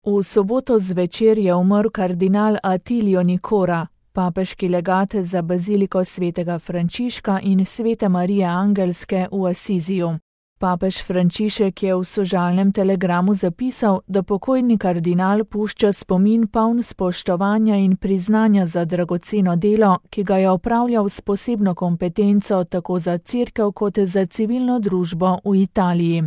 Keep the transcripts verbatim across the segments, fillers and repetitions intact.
V soboto zvečer je umrl kardinal Attilio Nicora, papeški legat za baziliko svetega Frančiška in svete Marije Angelske v Asiziju. Papež Frančišek je v sožalnem telegramu zapisal, da pokojni kardinal pušča spomin poln spoštovanja in priznanja za dragoceno delo, ki ga je opravljal s posebno kompetenco tako za cerkev kot za civilno družbo v Italiji.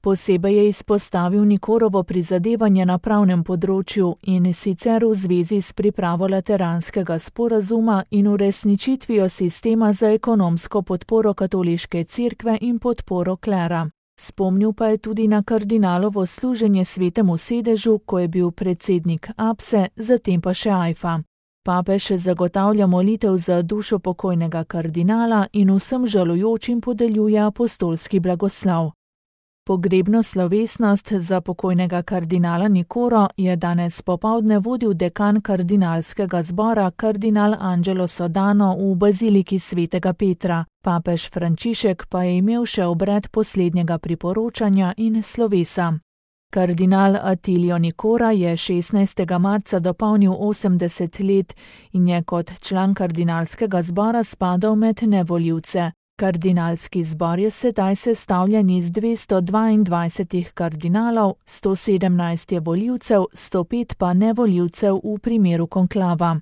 Posebej je izpostavil Nicorovo prizadevanje na pravnem področju in sicer v zvezi s pripravo lateranskega sporazuma in uresničitvijo sistema za ekonomsko podporo katoliške cerkve in podporo klera. Spomnil pa je tudi na kardinalovo služenje svetemu sedežu, ko je bil predsednik Apse, zatem pa še Ajfa. Papež zagotavlja molitev za dušo pokojnega kardinala in vsem žalujočim podeljuje apostolski blagoslov. Pogrebno slovesnost za pokojnega kardinala Nicoro je danes popoldne vodil dekan kardinalskega zbora kardinal Angelo Sodano v baziliki svetega Petra. Papež Frančišek pa je imel še obred poslednjega priporočanja in slovesa. Kardinal Attilio Nicora je šestnajstega marca dopolnil osemdeset let in je kot član kardinalskega zbora spadal med nevoljivce. Kardinalski zbor je sedaj sestavljen iz dvesto dvaindvajsetih kardinalov, sto sedemnajst je volivcev, sto pet pa nevolivcev v primeru konklava.